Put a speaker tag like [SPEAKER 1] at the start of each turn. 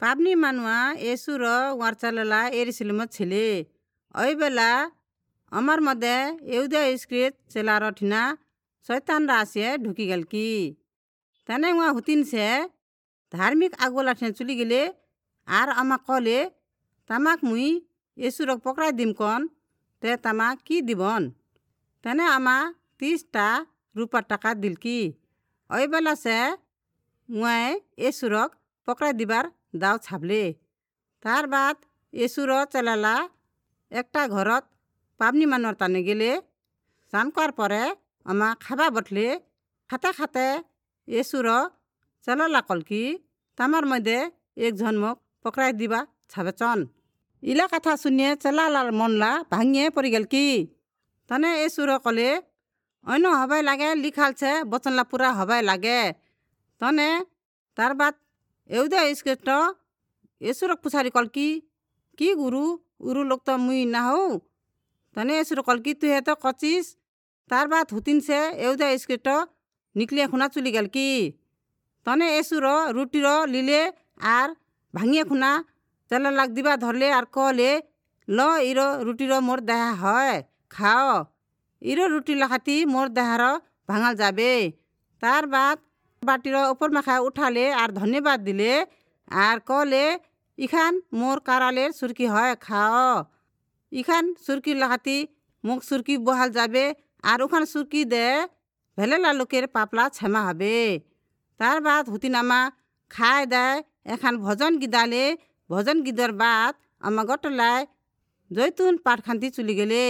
[SPEAKER 1] पाबनी मानुआ येशू र उहाँ चेलाला यरूशलेमत छिले। ओइ बेला अमर मध्ये यहूदा इस्करियोत चेलार ठिना शैतान रा आसिया ढुकी गेल की। तने उहाँ हुतिन से धार्मिक आगुला ठिना चली गेले आर अमा कले तमाक मुई येशू रक पकड़ाई दिम कन ते तमा की दिबन। तने अमा 30टा रुपा टाका दिल की। ओइ बेला से उहाँ येशू रक पकड़ाई दिबार दाव छापले। तार बाद येशू र चेलाला একটা घरत पाबनी मानुआर ताने गेले। चानकर परे अमा खाबा बठले। खाते खाते येशू र चेलाला कल की तमार मध्ये एकজন মোক पकड़ाई दिबा छाबेचन। इला कथा सुनिए चेलालार मनला भाঙिয়ে पड़ी गेल की। तने येशू र कले অন্য হবাই লাগে লিখাল छे বচনলা পুরা হবাই লাগে। तने तार बाद यहूदा इस्करियोत येशू रक पुछारी कल की की गुरु उरु लोग तो मुई ना हो। तने येशू र कल की तुहे तो कचिस। तार बाद हुतिन से यहूदा इस्करियोत निकलिया खुना चली गेल की। तने येशू र रुटी र लिले आर भाঙिয়ে खुना चेलालाक दिबा धरले आर कहले ल इरो रुटी र मोर देहा হয় खाओ, इरो रुटी लाखाती मोर देहार भाঙाल जाबे। तार बाद बाटीर ऊपर माखा उठाले आर धन्यवाद दिले आर कहले इखान मोर कारालेर सुरकी হয় खाओ, इखान सुरकी लाखाती मुख सुरकी बहाल जाबे आर उखान सुरकी दे भेलेला लोकेर पापला क्षमा হবে। तार बाद हुतिनामा खाए दाए एखान भजन गिदाले। भजन गिदर बाद अमा गटलाय जैतुन पाटखान्ती चली गेले।